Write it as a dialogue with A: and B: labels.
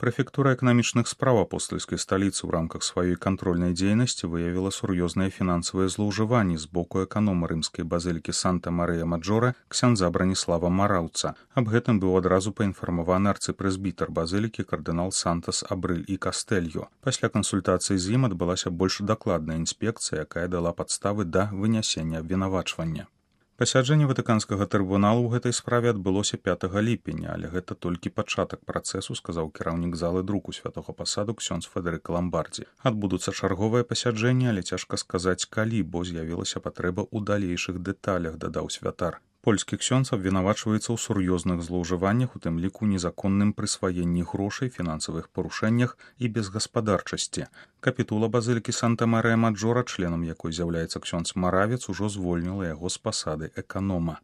A: Прэфектура эканамічных спраў апостальскай сталіцы ў рамках сваёй кантрольнай дзейнасці выявіла сур'ёзныя фінансавыя злоўжыванні з боку эканома рымскай базылікі Санта-Марыя-Маджора ксяндза Браніслава Мараўца. Аб гэтым быў адразу паінфармаваны арцыпрэзбітар базылікі кардынал Сантас Абрыль і Кастэльо. Пасля кансультацыі з ім адбылася больш дакладная інспекцыя, якая дала падставы да вынясення абвінавачвання. Пасяджэнне ватыканскага трыбуналу ў гэтай справе адбылося 5 ліпеня, але гэта толькі пачатак працэсу, сказаў кіраўнік залы друку святога пасаду ксёндз Федэрык Ламбардзі. Адбудуцца чарговыя пасяджэнні, але цяжка сказаць калі, бо з'явілася патрэба ў далейшых дэталях, дадаў святар. Польскі ксёндз абвінавачваецца ў сур'ёзных злоўжываннях, у тым ліку незаконным прысваенні грошай, фінансавых парушэннях і безгаспадарчасці. Капітула базылікі Санта-Марыя-Маджора, членам якой з'яўляецца ксёндз Маравец, ужо звольніла яго з пасады эканома.